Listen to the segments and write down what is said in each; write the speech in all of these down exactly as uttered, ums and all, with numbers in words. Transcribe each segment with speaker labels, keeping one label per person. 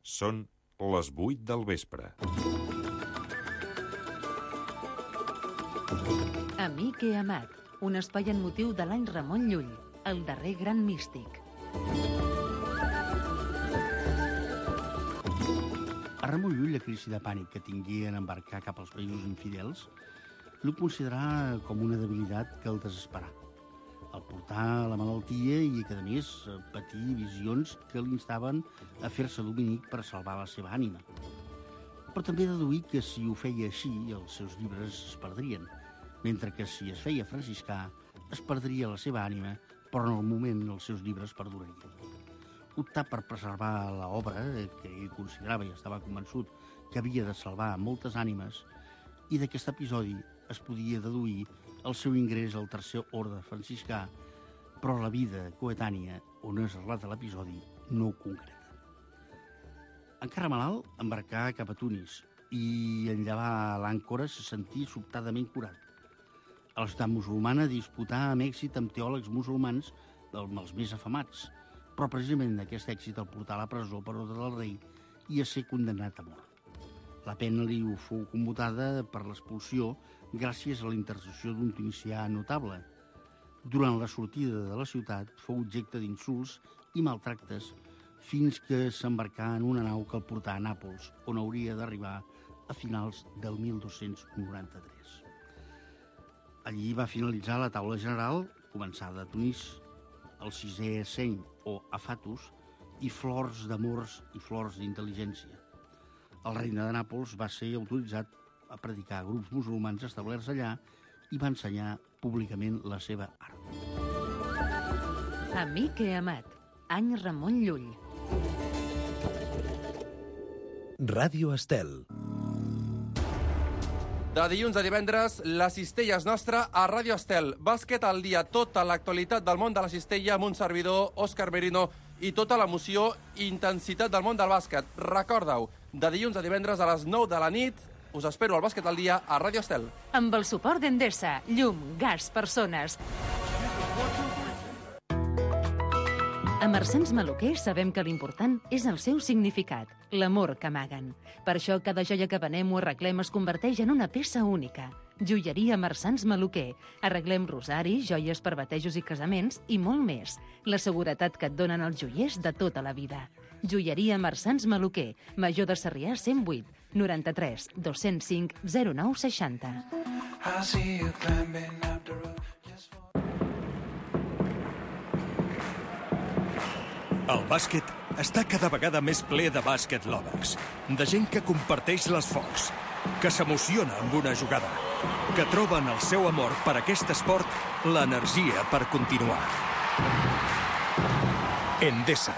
Speaker 1: Són les vuit del vespre.
Speaker 2: Amic i amat, un espai en motiu de l'any Ramon Llull, el darrer gran místic.
Speaker 3: A Ramon Llull, la crisi de pànic que tingué en embarcar cap als països infidels, no considerà com una debilitat que el desesperà. El portar la malaltia i que, a més, patir visions que l'instaven a fer-se dominic per salvar la seva ànima. Però també deduir que si ho feia així, els seus llibres es perdrien, mentre que si es feia franciscà, es perdria la seva ànima, però en el moment els seus llibres perdurarien. Optar per preservar l'obra, que ell considerava i estava convençut que havia de salvar moltes ànimes, i d'aquest episodi es podia deduir el seu ingrés al tercer orde franciscà, però la vida coetània, on es relata l'episodi, no ho concreta. Encara malalt, embarcà cap a Tunis i en llevar l'àncora se sentí sobtadament curat. A la ciutat musulmana disputà amb èxit amb teòlegs musulmans dels més afamats, però precisament aquest èxit el portà a la presó per ordre del rei i a ser condemnat a mort. La pena li fou commutada per l'expulsió gràcies a la intercessió d'un tunisià notable. Durant la sortida de la ciutat fou objecte d'insults i maltractes fins que s'embarcà en una nau que el portà a Nàpols, on hauria d'arribar a finals del mil dos-cents noranta-tres. Allí va finalitzar la taula general, començada a Tunís, el sisè seny o afatus i flors d'amors i flors d'intel·ligència. El regne de Nàpols va ser autoritzat a predicar a grups musulmans establerts allà i va ensenyar públicament la seva art.
Speaker 2: Amic i amat, any Ramon Llull.
Speaker 4: Ràdio Estel.
Speaker 5: De dilluns a divendres, la cistella és nostra a Ràdio Estel. Bàsquet al dia, tota l'actualitat del món de la cistella amb un servidor, Òscar Merino, i tota l'emoció i intensitat del món del bàsquet. Recorda-ho, de dilluns a divendres a les nou de la nit, us espero al Bàsquet al dia a Ràdio Estel.
Speaker 2: Amb el suport d'Endesa, llum, gas, persones. A Marsans Maluquer sabem que l'important és el seu significat, l'amor que amaguen. Per això cada joia que venem o arreglem es converteix en una peça única. Joieria Marsans Maluquer. Arreglem rosaris, joies per batejos i casaments i molt més. La seguretat que et donen els joiers de tota la vida. Joieria Marsans Maluquer, Major de Sarrià cent vuit, noranta-tres, dos-cents cinc, zero nou seixanta.
Speaker 4: El bàsquet està cada vegada més ple de bàsquet lovers, de gent que comparteix les focs, que s'emociona amb una jugada, que troben el seu amor per aquest esport l'energia per continuar. Endesa.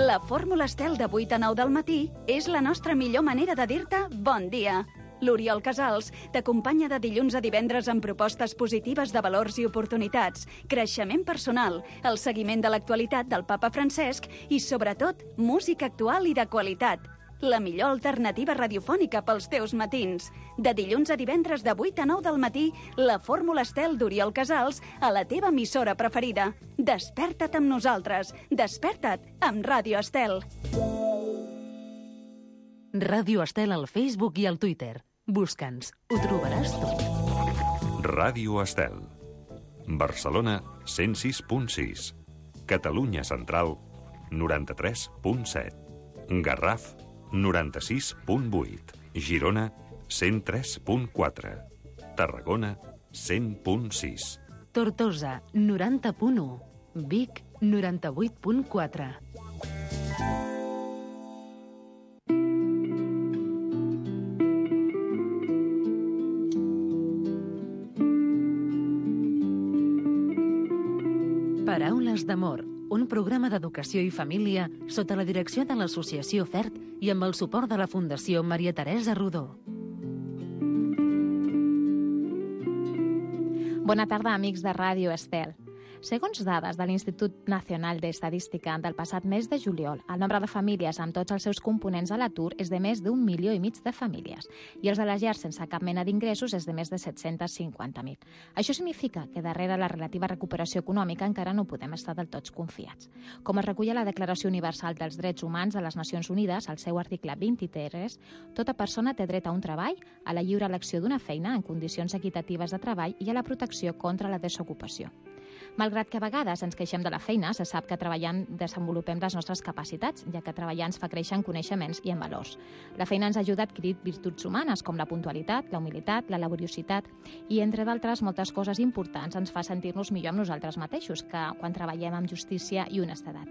Speaker 6: La fórmula Estel de vuit a nou del matí és la nostra millor manera de dir-te bon dia. L'Oriol Casals t'acompanya de dilluns a divendres amb propostes positives de valors i oportunitats, creixement personal, el seguiment de l'actualitat del papa Francesc i, sobretot, música actual i de qualitat. La millor alternativa radiofònica pels teus matins. De dilluns a divendres de vuit a nou del matí, la fórmula Estel d'Oriol Casals a la teva emissora preferida. Desperta't amb nosaltres. Desperta't amb Ràdio Estel.
Speaker 2: Ràdio Estel al Facebook i al Twitter. Busca'ns, ho trobaràs tot.
Speaker 1: Ràdio Estel. Barcelona, cent sis punt sis. Catalunya Central, noranta-tres punt set. Garraf, noranta-sis punt vuit. Girona, cent tres punt quatre. Tarragona, cent punt sis.
Speaker 2: Tortosa, noranta punt u. Vic, noranta-vuit punt quatre. Paraules d'amor, un programa d'educació i família sota la direcció de l'Associació FERT i amb el suport de la Fundació Maria Teresa Rodó.
Speaker 7: Bona tarda, amics de Ràdio Estel. Segons dades de l'Institut Nacional d'Estadística del passat mes de juliol, el nombre de famílies amb tots els seus components a l'atur és de més d'un milió i mig de famílies i els de les llars sense cap mena d'ingressos és de més de set-cents cinquanta mil. Això significa que darrere la relativa recuperació econòmica encara no podem estar del tot confiats. Com es recull a la Declaració Universal dels Drets Humans de les Nacions Unides, al seu article vint-i-tres, tota persona té dret a un treball, a la lliure elecció d'una feina en condicions equitatives de treball i a la protecció contra la desocupació. Malgrat que a vegades ens queixem de la feina, se sap que treballant desenvolupem les nostres capacitats, ja que treballar ens fa créixer en coneixements i en valors. La feina ens ajuda a adquirir virtuts humanes com la puntualitat, la humilitat, la laboriositat i, entre d'altres, moltes coses importants ens fa sentir-nos millor amb nosaltres mateixos que quan treballem amb justícia i honestedat.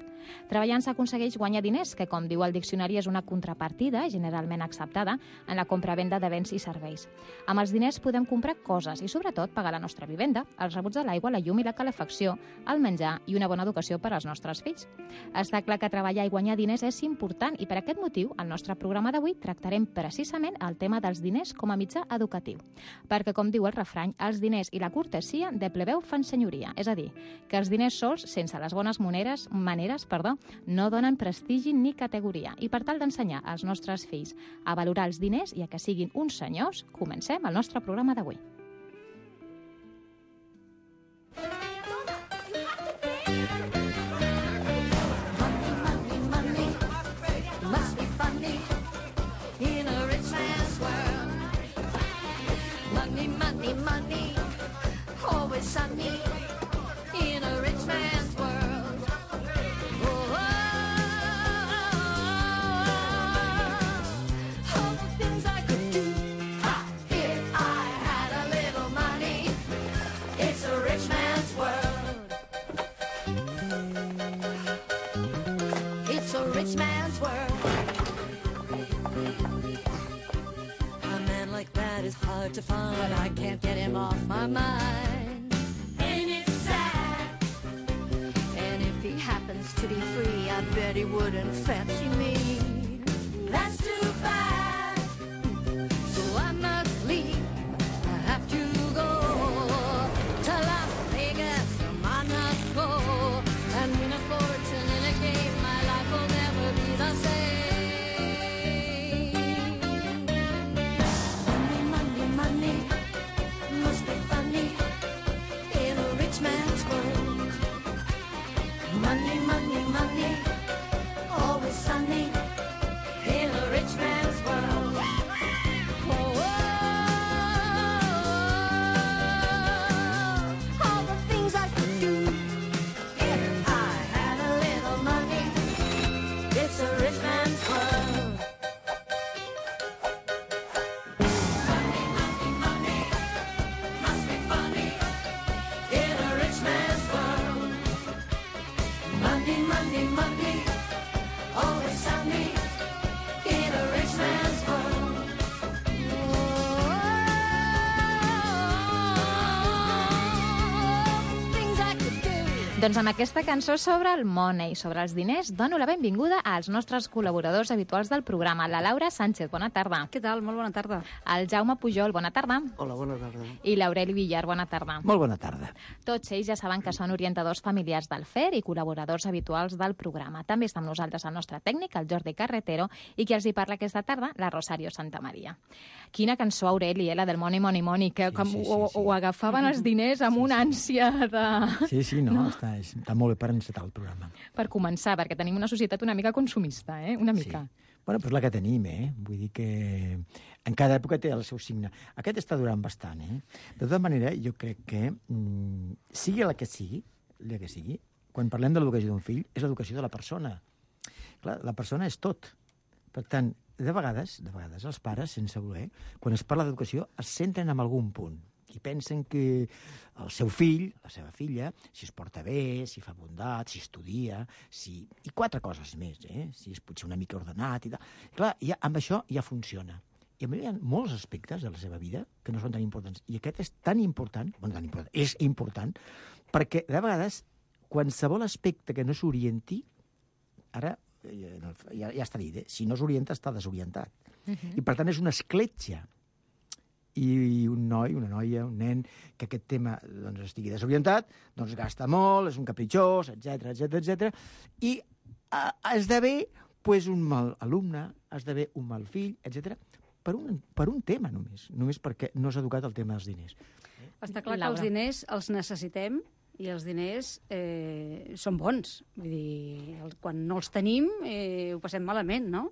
Speaker 7: Treballant s'aconsegueix guanyar diners, que, com diu el diccionari, és una contrapartida generalment acceptada en la compra-venda de béns i serveis. Amb els diners podem comprar coses i, sobretot, pagar la nostra vivenda, els rebuts de l'aigua, la llum i la calefacció, el menjar i una bona educació per als nostres fills. Està clar que treballar i guanyar diners és important i per aquest motiu al nostre programa d'avui tractarem precisament el tema dels diners com a mitjà educatiu. Perquè, com diu el refrany, els diners i la cortesia de plebeu fan senyoria. És a dir, que els diners sols, sense les bones maneres, maneres, perdó, no donen prestigi ni categoria. I per tal d'ensenyar als nostres fills a valorar els diners i a que siguin uns senyors, comencem el nostre programa d'avui.
Speaker 8: Money, always sunny in a rich man's world. Oh, oh, oh, all the things I could do if I had a little money. It's a rich man's world. It's a rich man's world. A man like that is hard to find, but I can't get him off my mind. Ain't it sad? And if he happens to be free, I bet he wouldn't fancy me. That's too bad. So I must leave. I have to go to Las Vegas or Monaco and win a fortune in a game. My life will never be the same. Money must be funny in a rich man's world. Money, money, money, always sunny in a rich man's world. Oh, oh, oh, all the things I could do if I had a little money. It's a rich man's world. Money, money, always sunny in a rich man's world. Oh, things I could do.
Speaker 7: Doncs amb aquesta cançó sobre el money, sobre els diners, dono la benvinguda als nostres col·laboradors habituals del programa. La Laura Sánchez, bona tarda.
Speaker 9: Què tal? Molt bona tarda.
Speaker 7: El Jaume Pujol, bona tarda.
Speaker 3: Hola, bona tarda.
Speaker 7: I l'Aureli Villar, bona tarda.
Speaker 10: Molt bona tarda.
Speaker 7: Tots ells ja saben que són orientadors familiars del F E R i col·laboradors habituals del programa. També està amb nosaltres el nostre tècnic, el Jordi Carretero, i qui els hi parla aquesta tarda, la Rosario Santamaria. Quina cançó, Aureli, eh, la del Money, Money, Money, que
Speaker 10: Sí,
Speaker 7: com
Speaker 10: sí, sí,
Speaker 7: ho,
Speaker 10: sí.
Speaker 7: ho agafaven els diners amb una ànsia de...
Speaker 10: Sí, sí, no, no. Està, està molt bé per encetar el programa.
Speaker 7: Per començar, perquè tenim una societat una mica consumista, eh? Una mica.
Speaker 10: Sí. Bueno, doncs la que tenim, eh? Vull dir que en cada època té el seu signe. Aquest està durant bastant, eh? De tota manera, jo crec que, mm, sigui la que sigui, la que sigui, quan parlem de l'educació d'un fill, és l'educació de la persona. Clar, la persona és tot. Per tant, de vegades, de vegades els pares, sense voler, quan es parla d'educació, es centren en algun punt i pensen que el seu fill, la seva filla, si es porta bé, si fa bondat, si estudia, si... i quatre coses més, eh? Si és potser una mica ordenat i tal. I clar, ja, amb això ja funciona. I a mi hi ha molts aspectes de la seva vida que no són tan importants. I aquest és tan important, bueno, tan important, és important, perquè de vegades qualsevol aspecte que no s'orienti, ara ja, ja està dit, eh? Si no s'orienta està desorientat. Uh-huh. I per tant és una escletxa. i un noi, una noia, un nen, que aquest tema doncs, estigui desorientat, doncs gasta molt, és un capritxós, etcètera, etcètera, etcètera, i eh, esdevé pues, un mal alumne, esdevé un mal fill, etcètera, per un, per un tema només, només perquè no s'ha educat el tema dels diners.
Speaker 9: Està clar que els diners els necessitem i els diners eh, són bons. Vull dir, el, quan no els tenim eh, ho passem malament, no?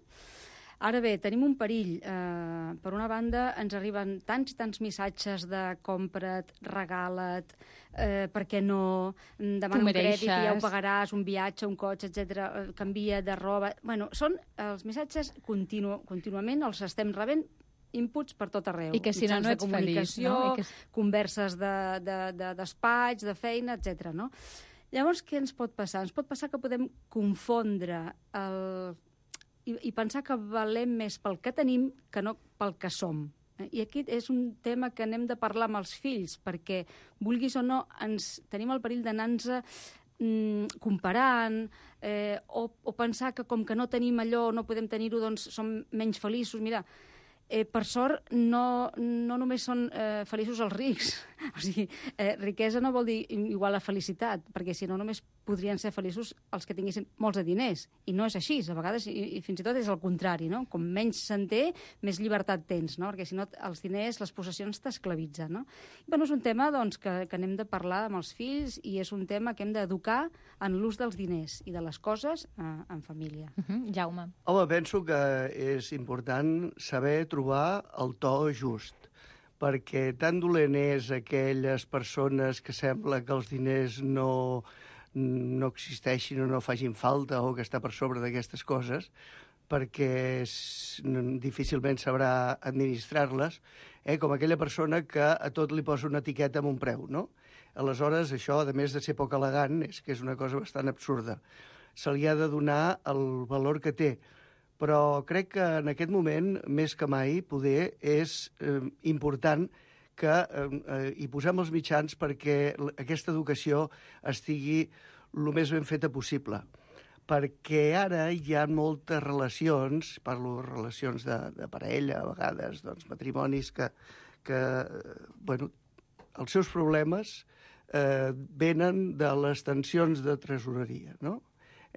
Speaker 9: Ara bé, tenim un perill. Eh, per una banda, ens arriben tants i tants missatges de compra't, regala't, eh, perquè no, demana un crèdit i ja ho pagaràs, un viatge, un cotxe, etcètera, canvia de roba... Bueno, són els missatges continu, contínuament, els estem rebent inputs per tot arreu.
Speaker 7: I que si no, no ets feliç, no? I que... converses
Speaker 9: de, de, de despatx, de feina, etcètera, no? Llavors, què ens pot passar? Ens pot passar que podem confondre el... I, i pensar que valem més pel que tenim que no pel que som. I aquí és un tema que n'hem de parlar amb els fills, perquè, vulguis o no, ens tenim el perill d'anar-nos mm, comparant eh, o, o pensar que com que no tenim allò, no podem tenir-ho, doncs som menys feliços. Mira, Eh, per sort, no, no només són eh, feliços els rics. O sigui, eh, riquesa no vol dir igual a felicitat, perquè si no només podrien ser feliços els que tinguessin molts de diners. I no és així, a vegades, i, i fins i tot és el contrari, no? Com menys se'n té, més llibertat tens, no? Perquè si no, els diners, les possessions t'esclavitzen, no? I, bueno, és un tema doncs, que, que n'hem de parlar amb els fills i és un tema que hem d'educar en l'ús dels diners i de les coses eh, en família.
Speaker 7: Uh-huh. Jaume.
Speaker 11: Home, penso que és important saber trobar el to just, perquè tan dolent és aquelles persones que sembla que els diners no, no existeixin o no facin falta o que està per sobre d'aquestes coses, perquè difícilment sabrà administrar-les, eh, com aquella persona que a tot li posa una etiqueta amb un preu, no? Aleshores, això, a més de ser poc elegant, és que és una cosa bastant absurda. Se li ha de donar el valor que té, però crec que en aquest moment, més que mai, poder és eh, important que eh, hi posem els mitjans perquè aquesta educació estigui el més ben feta possible. Perquè ara hi ha moltes relacions, parlo de relacions de, de parella, a vegades, doncs, matrimonis, que, que bueno, els seus problemes eh, venen de les tensions de tresoreria, no?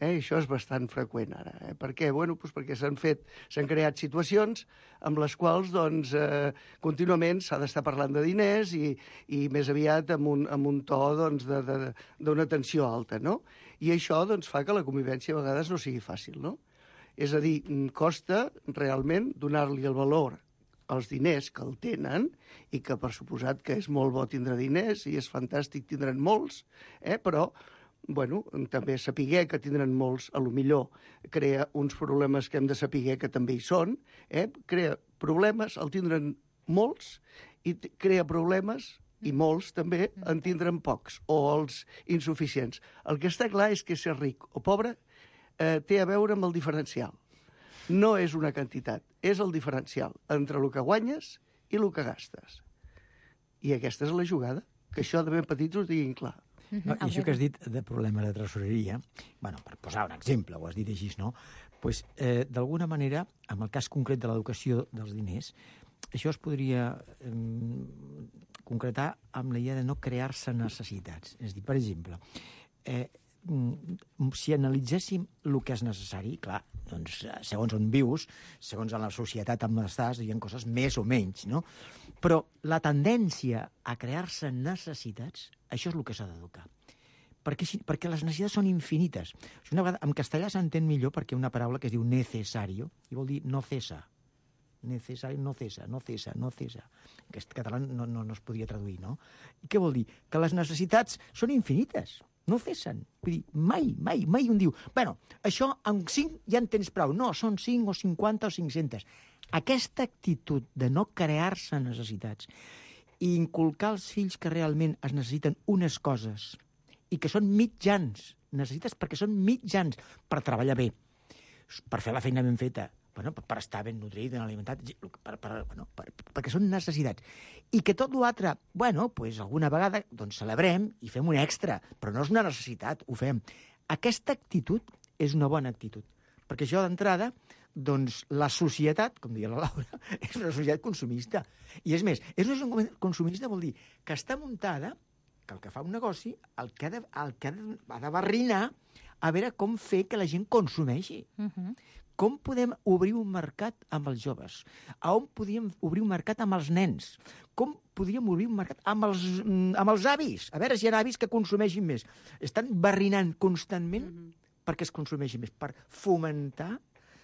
Speaker 11: Eh, això és bastant freqüent ara. Eh? Per què? Bueno, doncs perquè s'han fet, s'han creat situacions amb les quals doncs, eh, contínuament s'ha d'estar parlant de diners i, i més aviat amb un, amb un to doncs, de, de, d'una tensió alta, no? I això doncs, fa que la convivència a vegades no sigui fàcil, no? És a dir, costa realment donar-li el valor als diners que el tenen i que per suposat que és molt bo tindre diners i és fantàstic tindre'n molts, eh? Però bueno, també saber que tindran molts, a lo millor crea uns problemes que hem de saber que també hi són, eh? Crea problemes, el tindran molts, i crea problemes, i molts també, en tindran pocs, o els insuficients. El que està clar és que ser ric o pobre eh, té a veure amb el diferencial. No és una quantitat, és el diferencial entre el que guanyes i el que gastes. I aquesta és la jugada, que això de ben petits ho diguin clar.
Speaker 10: No, I això que has dit de problema de tresoreria, bueno, per posar un exemple, ho has dit així, no? Pues, eh, d'alguna manera, en el cas concret de l'educació dels diners, això es podria eh, concretar amb la idea de no crear-se necessitats. És a dir, per exemple, eh, si analitzéssim el que és necessari, clar, doncs, segons on vius, segons en la societat amb l'estàs, hi ha coses més o menys, no? Però la tendència a crear-se necessitats, això és el que s'ha d'educar. Perquè, perquè les necessitats són infinites. Una vegada, en castellà s'entén millor perquè una paraula que es diu necesario, i vol dir no cesa. Necesario, no cesa, no cesa, no cesa. En aquest català no, no, no es podria traduir, no? I què vol dir? Que les necessitats són infinites. No cessen. Vull dir, mai, mai, mai un diu, bueno, això en cinc ja en tens prou. No, són cinc o cinquanta o cinc-centes. Aquesta actitud de no crear-se necessitats i inculcar als fills que realment es necessiten unes coses i que són mitjans, necessites perquè són mitjans per treballar bé, per fer la feina ben feta, bueno, per estar ben nutrit, ben alimentat, per, per, bueno, per, perquè són necessitats. I que tot l'altre, bueno, pues alguna vegada doncs celebrem i fem un extra, però no és una necessitat, ho fem. Aquesta actitud és una bona actitud, perquè això d'entrada, doncs la societat, com deia la Laura, és una societat consumista. I és més, és una societat consumista vol dir que està muntada, que el que fa un negoci, el que ha de, el que ha de, ha de barrinar a veure com fer que la gent consumeixi.
Speaker 7: Uh-huh.
Speaker 10: Com podem obrir un mercat amb els joves? A on podíem obrir un mercat amb els nens? Com podíem obrir un mercat amb els, amb els avis? A veure si hi ha avis que consumeixin més. Estan barrinant constantment mm-hmm. perquè es consumeixi més, per fomentar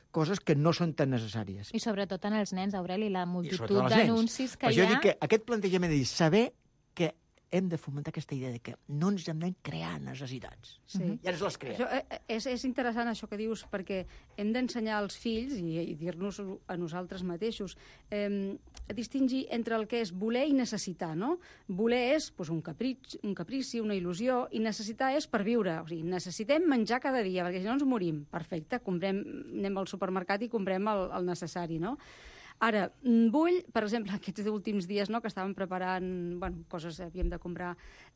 Speaker 10: coses que no són tan necessàries.
Speaker 7: I sobretot en els nens, Aureli, la multitud d'anuncis que
Speaker 10: per
Speaker 7: hi ha...
Speaker 10: Jo dic que aquest plantejament de dir, saber que hem de fomentar aquesta idea de que no ens hem de crear necessitats.
Speaker 9: Sí.
Speaker 10: Ja ens les creem.
Speaker 9: Això, és, és interessant això que dius, perquè hem d'ensenyar als fills i, i dir-nos a nosaltres mateixos eh, a distingir entre el que és voler i necessitar, no? Voler és pues, un, caprici, un caprici, una il·lusió, i necessitar és per viure. O sigui, necessitem menjar cada dia, perquè si no ens morim. Perfecte, comprem, anem al supermercat i comprem el, el necessari, no? Ara, vull, per exemple, aquests últims dies no, que estàvem preparant bueno, coses, havíem de comprar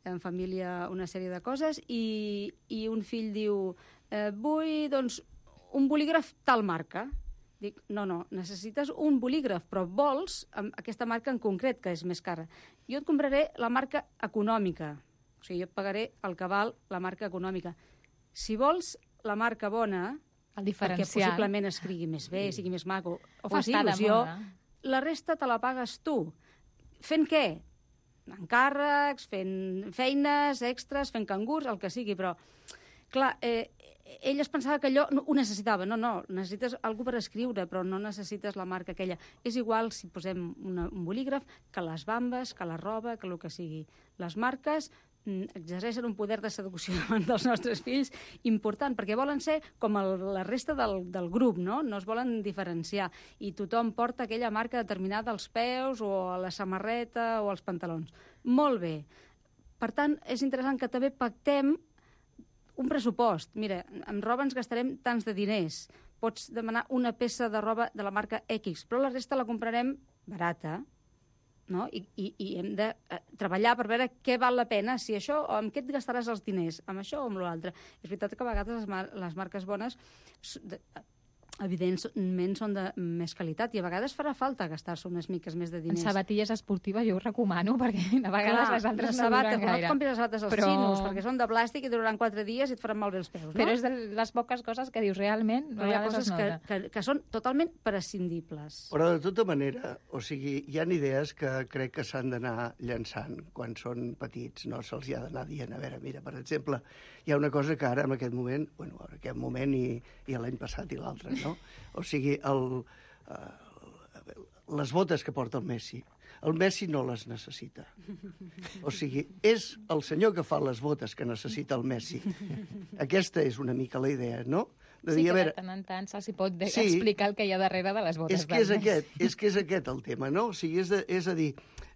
Speaker 9: en família una sèrie de coses, i, i un fill diu, eh, vull doncs, un bolígraf tal marca. Dic, no, no, necessites un bolígraf, però vols aquesta marca en concret, que és més cara. Jo et compraré la marca econòmica, o sigui, jo et pagaré el que val la marca econòmica. Si vols la marca bona,
Speaker 7: el diferencial,
Speaker 9: perquè possiblement escrigui més bé, sigui més maco, o
Speaker 7: o
Speaker 9: faci il·lusió, la resta te la pagues tu. Fent què? Encàrrecs, fent feines extres, fent cangurs, el que sigui, però, clar, eh, ell es pensava que allò no, ho necessitava. No, no, necessites algú per escriure, però no necessites la marca aquella. És igual si posem una, un bolígraf que les bambes, que la roba, que el que sigui. Les marques exerceixen un poder de seducció dels nostres fills important, perquè volen ser com el, la resta del, del grup, no? No es volen diferenciar, i tothom porta aquella marca determinada als peus o a la samarreta o als pantalons. Molt bé. Per tant, és interessant que també pactem un pressupost. Mira, amb roba ens gastarem tants de diners. Pots demanar una peça de roba de la marca X, però la resta la comprarem barata, no? I, i, i hem de eh, treballar per veure què val la pena, si això, o amb què et gastaràs els diners, amb això o amb l'altre. És veritat que a vegades les, mar les marques bones de, evidentment són de més qualitat, i a vegades farà falta gastar-se unes miques més de diners.
Speaker 7: En sabatilles esportives jo ho recomano, perquè a vegades
Speaker 9: Clar,
Speaker 7: les altres
Speaker 9: sabata,
Speaker 7: no duren gaire.
Speaker 9: No et compris les sabates als
Speaker 7: però...
Speaker 9: xinos, perquè són de plàstic i duraran quatre dies i et faran malbé els peus, no?
Speaker 7: Però és de les poques coses que dius realment,
Speaker 9: però hi ha coses que, que, que són totalment prescindibles.
Speaker 11: Però de tota manera, o sigui, hi ha idees que crec que s'han d'anar llançant quan són petits, no se'ls hi ha d'anar dient. A veure, mira, per exemple, hi ha una cosa que ara, en aquest moment, bueno, en aquest moment i, i l'any passat i l'altre, no? O sigui, el, uh, les botes que porta el Messi. El Messi no les necessita. O sigui, és el senyor que fa les botes que necessita el Messi. Aquesta és una mica la idea, no? De
Speaker 7: sí,
Speaker 11: dir,
Speaker 7: que
Speaker 11: a veure,
Speaker 7: de tant en tant se'ls pot de
Speaker 11: sí,
Speaker 7: explicar el que hi ha darrere de les botes
Speaker 11: és que és
Speaker 7: del Messi.
Speaker 11: aquest, és que és aquest el tema, no? O sigui, és, de, és a dir,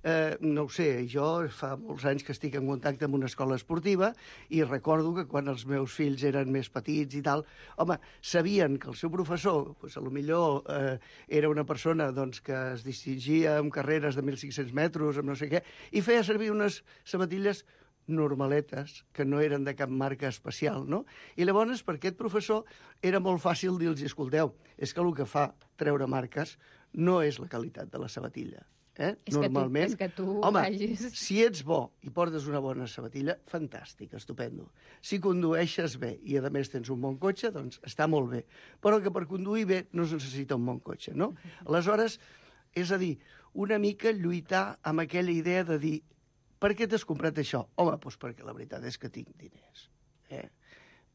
Speaker 11: eh, no ho sé, jo fa molts anys que estic en contacte amb una escola esportiva i recordo que quan els meus fills eren més petits i tal, home, sabien que el seu professor, doncs, a lo millor eh, era una persona doncs, que es distingia amb carreres de mil cinc-cents metres, amb no sé què, i feia servir unes sabatilles normaletes, que no eren de cap marca especial, no? I llavors, per aquest professor, era molt fàcil dir-los, escolteu, és que el que fa treure marques no és la qualitat de la sabatilla. Eh?
Speaker 7: És
Speaker 11: Normalment,
Speaker 7: que tu, és que tu
Speaker 11: home,
Speaker 7: vagis...
Speaker 11: si ets bo i portes una bona sabatilla, fantàstic, estupendo. Si condueixes bé i, a més, tens un bon cotxe, doncs està molt bé. Però que per conduir bé no es necessita un bon cotxe, no? Aleshores, és a dir, una mica lluitar amb aquella idea de dir per què t'has comprat això? Home, doncs perquè la veritat és que tinc diners. Eh?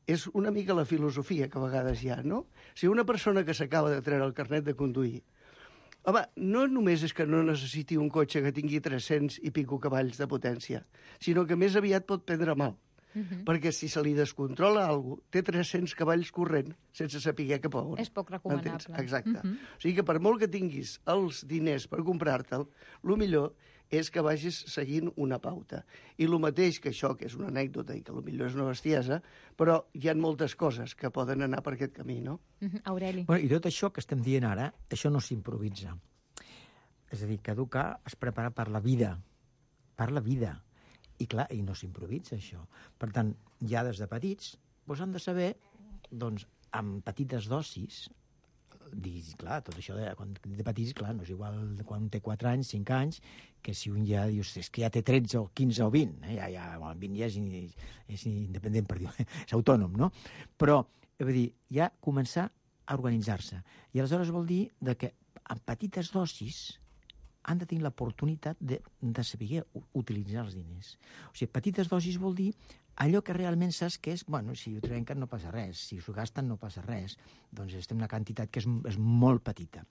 Speaker 11: És una mica la filosofia que a vegades hi ha, no? Si una persona que s'acaba de treure el carnet de conduir, home, no només és que no necessiti un cotxe que tingui tres-cents i pico cavalls de potència, sinó que més aviat pot prendre mal. Uh-huh. Perquè si se li descontrola alguna cosa, té tres-cents cavalls corrent sense saber cap a on.
Speaker 7: És poc recomanable.
Speaker 11: Entens? Exacte.
Speaker 7: Uh-huh.
Speaker 11: O sigui que per molt que tinguis els diners per comprar-te'l, el millor és que vagis seguint una pauta. I el mateix que això, que és una anècdota i que potser és una bestiesa, però hi ha moltes coses que poden anar per aquest camí, no?
Speaker 7: Uh-huh. Aureli.
Speaker 10: Bueno, I tot això que estem dient ara, això no s'improvisa. És a dir, que educar es prepara per la vida, per la vida. I clar, i no s'improvisa això. Per tant, ja des de petits doncs han de saber doncs, amb petites dosis, diguis, clar, tot això de, quan de petits, clar, no és igual de quan un té quatre anys, cinc anys, que si un ja dius, és que ja té tretze o quinze o vint, eh? ja, ja, bueno, vint ja és, és independent, per dir, és autònom, no? Però, vull dir, ja començar a organitzar-se. I aleshores vol dir de que amb petites dosis han de tenir l'oportunitat de, de saber utilitzar els diners. O sigui, petites dosis vol dir allò que realment saps que és, bueno, si ho trenquen no passa res, si s'ho gasten no passa res, doncs estem en una quantitat que és, és molt petita.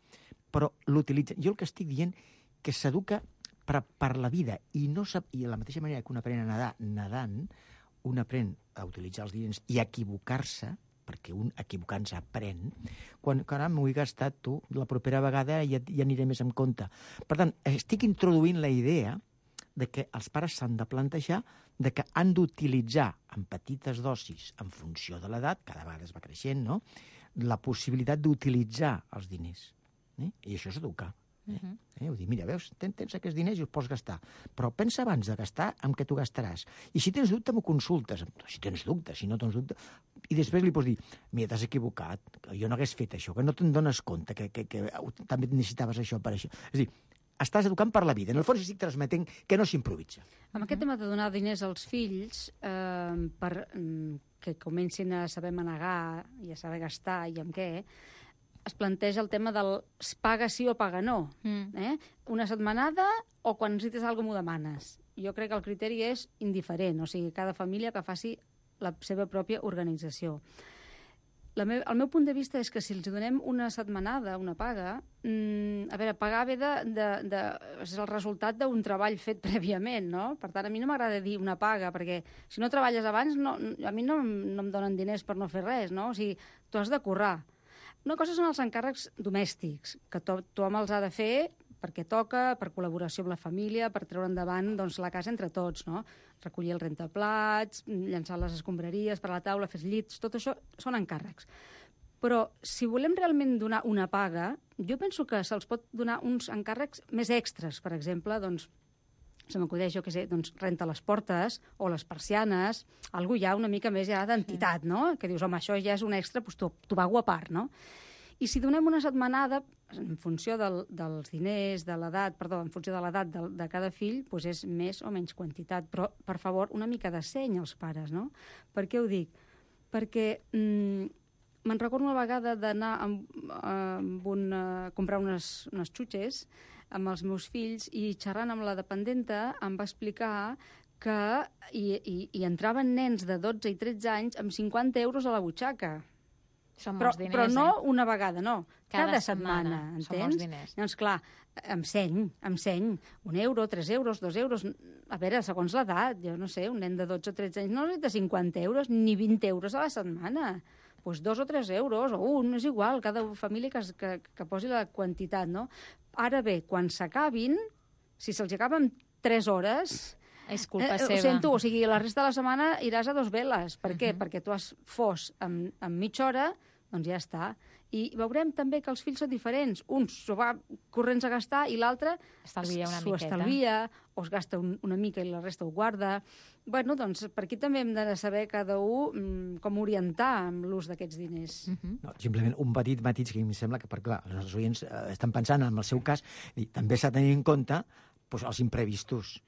Speaker 10: Però l'utilitzen. Jo el que estic dient que s'educa per, per la vida i no sap, i de la mateixa manera que un aprèn a nedar nedant, un aprèn a utilitzar els diners i a equivocar-se, perquè un equivocant-se aprèn, quan, quan m'ho he gastat tu, la propera vegada ja, ja aniré més en compte. Per tant, estic introduint la idea de que els pares s'han de plantejar de que han d'utilitzar en petites dosis, en funció de l'edat, cada vegada es va creixent, no?, la possibilitat d'utilitzar els diners. Eh? I això és educar. Eh? Uh-huh. Eh? Vull dir, mira, veus, tens, tens aquests diners i els pots gastar, però pensa abans de gastar amb què tu gastaràs. I si tens dubte, m'ho consultes. Si tens dubte, si no tens dubte... I després li pots dir, mira, t'has equivocat, que jo no hagués fet això, que no te'n dones compte, que, que, que també necessitaves això per això. És a dir, estàs educant per la vida. En el fons estic transmetent que no s'improvisa.
Speaker 9: Amb aquest tema de donar diners als fills, eh, per que comencin a saber manegar i a saber gastar i amb què, es planteja el tema del paga sí o paga no. Mm. Eh? Una setmanada o quan necessites alguna cosa m'ho demanes. Jo crec que el criteri és indiferent, o sigui, cada família que faci la seva pròpia organització. La me el meu punt de vista és que si els donem una setmanada, una paga, mmm, a veure, pagar ve de, de, de, és el resultat d'un treball fet prèviament, no? Per tant, a mi no m'agrada dir una paga, perquè si no treballes abans, no, a mi no, no em donen diners per no fer res, no? O sigui, tu has de currar. Una cosa són els encàrrecs domèstics, que to tothom els ha de fer perquè toca, per col·laboració amb la família, per treure endavant doncs, la casa entre tots, no? Recollir el rentaplats, llançar les escombraries per la taula, fer llits, tot això són encàrrecs. Però si volem realment donar una paga, jo penso que se'ls pot donar uns encàrrecs més extres, per exemple, doncs, se m'acudeix, jo què sé, doncs, renta les portes o les persianes, algú ja una mica més ja d'entitat, no? Que dius, home, això ja és un extra, doncs tu, tu pago a part, no? I si donem una setmanada, en funció del, dels diners, de l'edat, perdó, en funció de l'edat de, de cada fill, doncs és més o menys quantitat. Però, per favor, una mica de seny als pares, no? Per què ho dic? Perquè mmm, me'n recordo una vegada d'anar amb, amb un, a comprar unes, unes xutxes amb els meus fills i xerrant amb la dependenta em va explicar que hi, hi, hi entraven nens de dotze i tretze anys amb cinquanta euros a la butxaca.
Speaker 7: Són
Speaker 9: però,
Speaker 7: molts diners,
Speaker 9: però no
Speaker 7: eh?
Speaker 9: una vegada, no. Cada,
Speaker 7: Cada
Speaker 9: setmana,
Speaker 7: setmana,
Speaker 9: entens?
Speaker 7: són molts diners.
Speaker 9: Doncs clar, em seny, em seny. Un euro, tres euros, dos euros... A veure, segons l'edat, jo no sé, un nen de dotze o tretze anys no necessita cinquanta euros ni vint euros a la setmana. Doncs pues dos o tres euros, o un, és igual, cada família que, que, que posi la quantitat, no? Ara bé, quan s'acabin, si se'ls acaben tres hores...
Speaker 7: És culpa
Speaker 9: eh,
Speaker 7: seva.
Speaker 9: Ho sento, o sigui, la resta de la setmana iràs a dos veles. Per què? Uh -huh. Perquè tu has fos en, en mitja hora, doncs ja està. I veurem també que els fills són diferents. Un s'ho va corrents a gastar i l'altre s'ho estalvia o es gasta un, una mica i la resta ho guarda. Bueno, doncs per aquí també hem de saber cada un com orientar amb l'ús d'aquests diners.
Speaker 10: Uh -huh. No, simplement un petit matís que em sembla que, per clar, els nostres oients eh, estan pensant en el seu cas, i també s'ha de tenir en compte doncs, els imprevistos.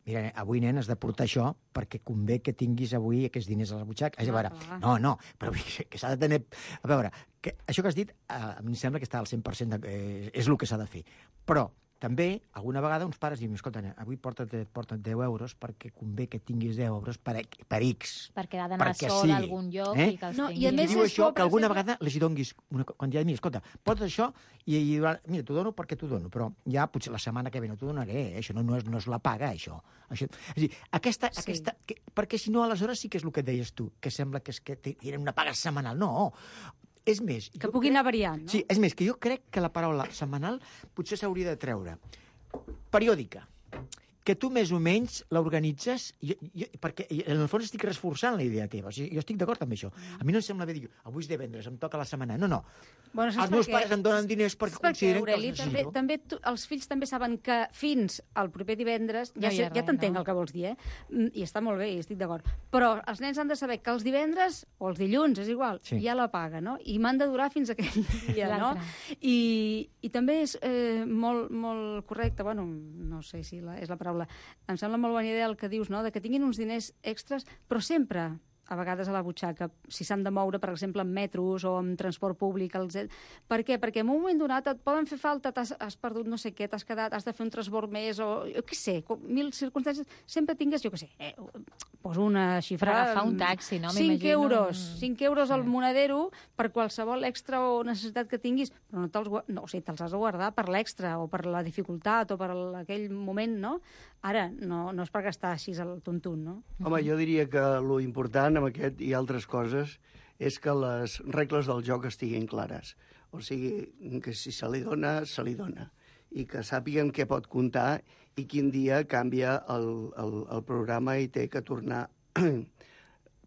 Speaker 10: Mira, avui, nen, has de portar això perquè convé que tinguis avui aquests diners a la butxaca. Ah, a veure, no, no, però que s'ha de tenir... A veure, que això que has dit, eh, em sembla que està al cent per cent, de, eh, és el que s'ha de fer. Però també, alguna vegada, uns pares diuen, escolta, avui porta't, porta't deu euros perquè convé que tinguis deu euros per, per X.
Speaker 7: Perquè ha d'anar sol a algun lloc eh? i que els
Speaker 9: no,
Speaker 7: tinguis.
Speaker 9: I a més
Speaker 10: I diu això, que alguna
Speaker 9: exemple...
Speaker 10: vegada els donguis una quantitat, mira, escolta, porta't això i, i mira, t'ho dono perquè t'ho dono, però ja potser la setmana que ve no t'ho donaré, eh? Això no, no, és, no és la paga, això. això. És a dir, aquesta, sí. aquesta, que, perquè si no, aleshores sí que és el que deies tu, que sembla que és que tenen una paga setmanal. No, és més...
Speaker 9: Que pugui crec... anar variant, no?
Speaker 10: Sí, és més, que jo crec que la paraula setmanal potser s'hauria de treure periòdica. que tu més o menys l'organitzes, jo, jo, perquè en el fons estic reforçant la idea teva, o sigui, jo estic d'acord amb això. A mi no em sembla bé dir, avui és divendres, em toca la setmana. No, no.
Speaker 9: Bueno,
Speaker 10: els meus pares em donen diners perquè, perquè consideren
Speaker 9: Aureli,
Speaker 10: que els
Speaker 9: també,
Speaker 10: necessito.
Speaker 9: també tu, els fills també saben que fins al proper divendres, ja,
Speaker 7: No hi
Speaker 9: sé,
Speaker 7: ha
Speaker 9: ja
Speaker 7: res,
Speaker 9: t'entenc
Speaker 7: no?
Speaker 9: el que vols dir, eh? Mm, I està molt bé, i estic d'acord. Però els nens han de saber que els divendres, o els dilluns, és igual,
Speaker 10: Sí.
Speaker 9: hi ha la paga, no? I m'han de durar fins aquell dia, no?
Speaker 7: L'altre.
Speaker 9: I, I també és eh, molt, molt correcte, bueno, no sé si la, és la paraula, em sembla molt bona idea el que dius, no?, de que tinguin uns diners extras, però sempre, a vegades a la butxaca, si s'han de moure, per exemple, en metros o en transport públic. Els... Per què? Perquè en un moment donat et poden fer falta, t'has, has perdut no sé què, t'has quedat, has de fer un transbord més, o jo què sé, mil circumstàncies, sempre tingues, jo què sé, eh, poso una xifra...
Speaker 7: Per agafar un taxi, no?
Speaker 9: cinc
Speaker 7: M'imagino.
Speaker 9: euros, cinc euros al
Speaker 7: Sí.
Speaker 9: monedero per qualsevol extra o necessitat que tinguis, però no te'ls gua- no, o sigui, te'ls has de guardar per l'extra o per la dificultat o per el- aquell moment, no? Ara, no, no és per gastar així al tontun, no?
Speaker 11: Home, jo diria que lo important amb aquest i altres coses és que les regles del joc estiguin clares. O sigui, que si se li dona, se li dona. I que sàpiguen què pot comptar i quin dia canvia el, el, el programa i té que tornar...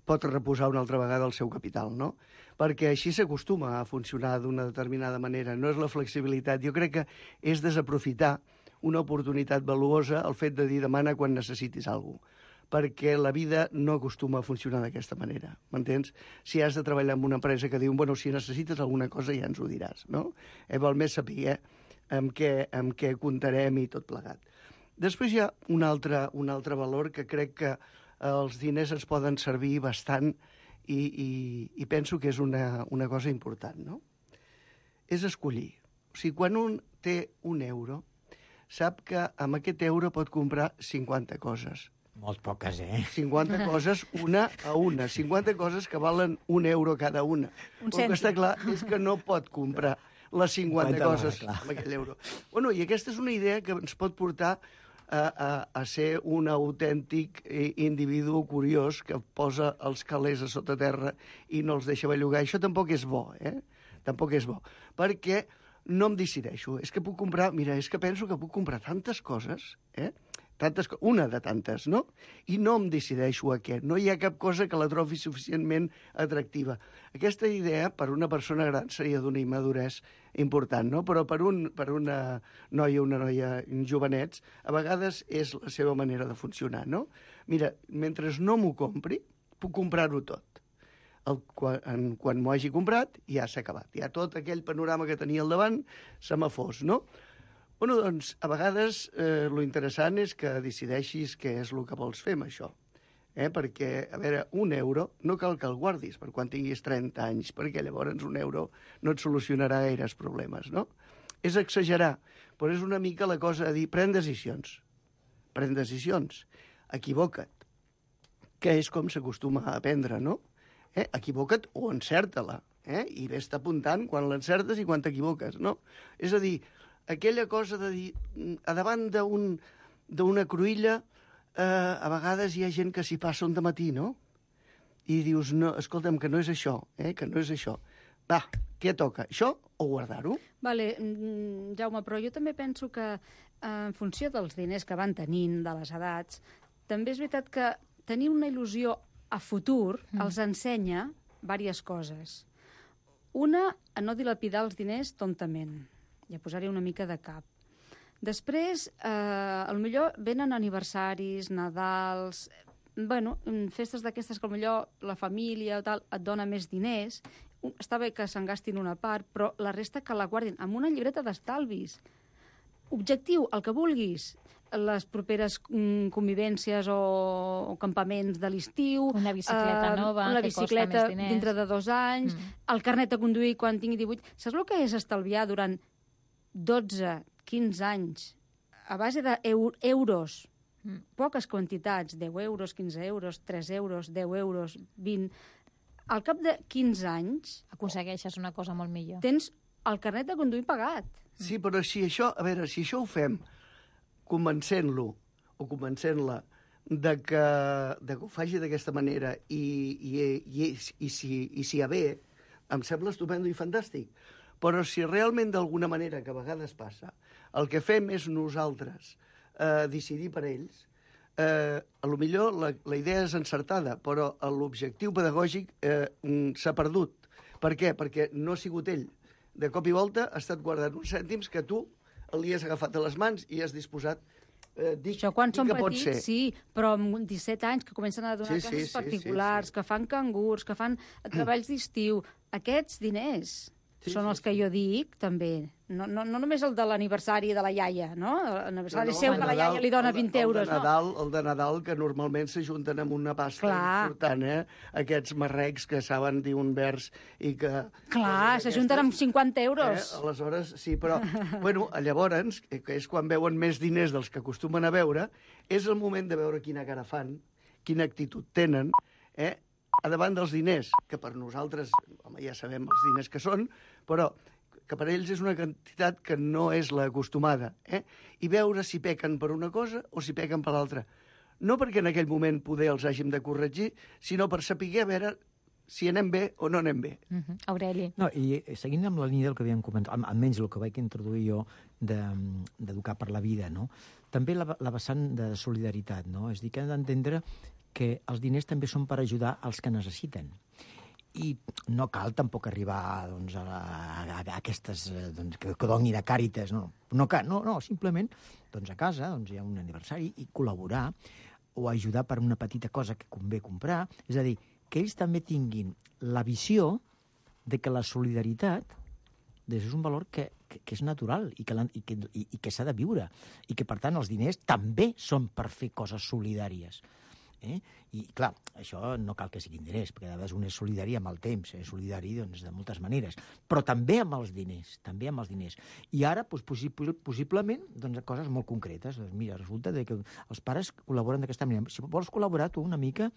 Speaker 11: pot reposar una altra vegada el seu capital, no? Perquè així s'acostuma a funcionar d'una determinada manera. No és la flexibilitat. Jo crec que és desaprofitar una oportunitat valuosa el fet de dir demana quan necessitis alguna cosa, perquè la vida no acostuma a funcionar d'aquesta manera, m'entens? Si has de treballar en una empresa que diu, bueno, si necessites alguna cosa ja ens ho diràs, no? Eh, val més saber amb què, amb què comptarem i tot plegat. Després hi ha un altre, un altre valor que crec que els diners ens poden servir bastant i, i, i penso que és una, una cosa important, no? És escollir. O sigui, quan un té un euro, sap que amb aquest euro pot comprar cinquanta coses.
Speaker 10: Molt poques, eh?
Speaker 11: cinquanta coses una a una. cinquanta coses que valen un euro cada una.
Speaker 9: Un
Speaker 11: El que està
Speaker 9: cèntim.
Speaker 11: clar és que no pot comprar les cinquanta
Speaker 10: cinquanta
Speaker 11: coses
Speaker 10: clar.
Speaker 11: amb aquell euro. Bueno, i aquesta és una idea que ens pot portar a, a, a ser un autèntic eh, individu curiós que posa els calés a sota terra i no els deixa bellugar. Això tampoc és bo, eh? Tampoc és bo. Perquè no em decideixo. És que puc comprar... Mira, és que penso que puc comprar tantes coses, eh? Tantes, una de tantes, no? I no em decideixo a què. No hi ha cap cosa que la trobi suficientment atractiva. Aquesta idea, per una persona gran, seria d'una immaduresa important, no? Però per, un, per una noia o una noia jovenets, a vegades és la seva manera de funcionar, no? Mira, mentre no m'ho compri, puc comprar-ho tot. El, quan quan m'ho hagi comprat, ja s'ha acabat. Ja tot aquell panorama que tenia al davant se m'ha fos, no? Bueno, doncs, a vegades eh, lo interessant és que decideixis què és el que vols fer amb això. Eh? Perquè, a veure, un euro no cal que el guardis per quan tinguis trenta anys, perquè llavors un euro no et solucionarà gaires problemes, no? És exagerar, però és una mica la cosa de dir, pren decisions, pren decisions, equivoca't, que és com s'acostuma a aprendre, no? Eh? Equivoca't o encerta-la, eh? I vés apuntant quan l'encertes i quan t'equivoques, no? És a dir, aquella cosa de dir, a davant d'un, d'una cruïlla, eh, a vegades hi ha gent que s'hi passa un dematí, no? I dius, no, escolta'm, que no és això, eh, que no és això. Va, què toca, això o guardar-ho?
Speaker 9: Vale, mm, Jaume, però jo també penso que eh, en funció dels diners que van tenint, de les edats, també és veritat que tenir una il·lusió a futur mm. els ensenya diverses coses. Una, a no dilapidar els diners tontament. Ja posaré una mica de cap. Després, eh, potser venen aniversaris, Nadals, bueno, festes d'aquestes que potser la família o tal et dona més diners. Està bé que se'n gastin una part, però la resta que la guardin amb una llibreta d'estalvis. Objectiu, el que vulguis. Les properes mm, convivències o, o campaments de l'estiu.
Speaker 7: Una bicicleta
Speaker 9: eh,
Speaker 7: nova,
Speaker 9: una
Speaker 7: que costa
Speaker 9: bicicleta
Speaker 7: més diners.
Speaker 9: dintre de dos anys,
Speaker 7: Mm.
Speaker 9: el carnet de conduir quan tingui divuit. Saps el que és estalviar durant dotze, quinze anys a base d'euros?
Speaker 7: Mm.
Speaker 9: Poques quantitats, deu euros, quinze euros, tres euros, deu euros, vint. Al cap de quinze anys
Speaker 7: Aconsegueixes una cosa molt millor.
Speaker 9: tens el carnet de conduir pagat.
Speaker 11: Sí, però si això, a veure, si això ho fem convencent-lo o convencent-la de que, de que ho faci d'aquesta manera i, i, i, i, si, i si hi ha bé, em sembla estupendo i fantàstic. Però si realment d'alguna manera, que a vegades passa, el que fem és nosaltres eh, decidir per ells, eh, a lo millor la, la idea és encertada, però l'objectiu pedagògic eh, s'ha perdut. Per què? Perquè no ha sigut ell. De cop i volta ha estat guardant uns cèntims que tu li has agafat a les mans i has disposat. Eh, dic,
Speaker 9: Això quan
Speaker 11: dic
Speaker 9: són
Speaker 11: que pot
Speaker 9: petits,
Speaker 11: ser.
Speaker 9: sí, però amb disset anys que comencen a donar
Speaker 11: Sí, sí,
Speaker 9: classes
Speaker 11: sí,
Speaker 9: particulars,
Speaker 11: sí, sí.
Speaker 9: que fan cangurs, que fan treballs d'estiu, aquests diners
Speaker 11: Sí,
Speaker 9: són
Speaker 11: sí,
Speaker 9: els que jo dic, també. No, no, no només el de l'aniversari de la iaia, no? L'aniversari
Speaker 11: No, no,
Speaker 9: seu
Speaker 11: el
Speaker 9: que
Speaker 11: de
Speaker 9: la iaia
Speaker 11: Nadal-
Speaker 9: li dona
Speaker 11: el de-
Speaker 9: vint
Speaker 11: el de
Speaker 9: euros, no?
Speaker 11: Nadal, el de Nadal, que normalment s'ajunten amb una pasta
Speaker 9: Clar.
Speaker 11: important, eh? Aquests marrecs que saben dir un vers i que...
Speaker 9: Clar, s'ajunten amb cinquanta euros.
Speaker 11: Eh? Aleshores, sí, però... bueno, llavors, que és quan veuen més diners dels que acostumen a veure, és el moment de veure quina cara fan, quina actitud tenen, eh? A davant dels diners, que per nosaltres, home, ja sabem els diners que són, però que per ells és una quantitat que no és l'acostumada, eh? I veure si pequen per una cosa o si pequen per l'altra. No perquè en aquell moment poder els hàgim de corregir, sinó per saber a veure si anem bé o no anem bé.
Speaker 7: Uh -huh. Aureli.
Speaker 10: No, i seguint amb la línia del que havíem comentat, almenys el que vaig introduir jo d'educar de, per la vida, no? També la, la vessant de solidaritat, no? És a dir, que hem d'entendre que els diners també són per ajudar els que necessiten. I no cal tampoc arribar doncs, a, a, a aquestes doncs, que, que donin a Càritas, no, no, no, no simplement doncs, a casa doncs, hi ha un aniversari i col·laborar o ajudar per una petita cosa que convé comprar, és a dir, que ells també tinguin la visió de que la solidaritat és un valor que, que, que és natural i que, i que, i, i que s'ha de viure i que, per tant, els diners també són per fer coses solidàries. Eh? I, clar, això no cal que siguin diners, perquè a vegades un és solidari amb el temps, és solidari doncs, de moltes maneres, però també amb els diners, també amb els diners. I ara, doncs, possible, possiblement, doncs, coses molt concretes. Doncs, mira, resulta que els pares col·laboren d'aquesta manera. Si vols col·laborar tu una mica,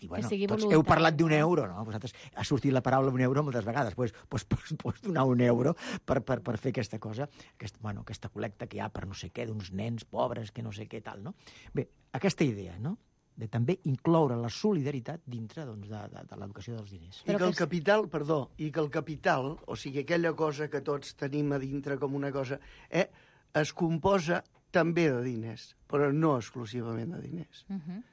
Speaker 10: i bueno, tots heu parlat d'un euro, no? Vosaltres ha sortit la paraula un euro moltes vegades, doncs pues, pues, pots donar un euro per, per, per fer aquesta cosa, aquest, bueno, aquesta col·lecta que hi ha per no sé què, d'uns nens pobres, que no sé què tal, no? Bé, aquesta idea, no?, de també incloure la solidaritat dintre doncs, de, de, de l'educació dels diners.
Speaker 11: I que el capital, perdó, i que el capital, o sigui, aquella cosa que tots tenim a dintre com una cosa, eh, es composa també de diners, però no exclusivament de diners.
Speaker 7: Uh -huh.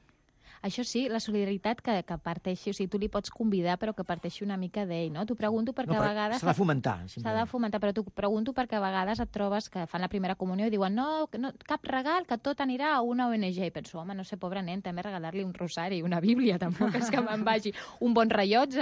Speaker 7: Això sí, la solidaritat que, que parteixi, o sigui, tu li pots convidar però que parteixi una mica d'ell, no? T'ho pregunto perquè
Speaker 10: no,
Speaker 7: a vegades...
Speaker 10: S'ha de fomentar.
Speaker 7: S'ha de fomentar, però t'ho pregunto perquè a vegades et trobes que fan la primera comunió i diuen no, no cap regal, que tot anirà a una O N G. I penso, home, no sé, pobre nen, també regalar-li un rosari, una bíblia, tampoc és que me'n vagi un bon rellotge,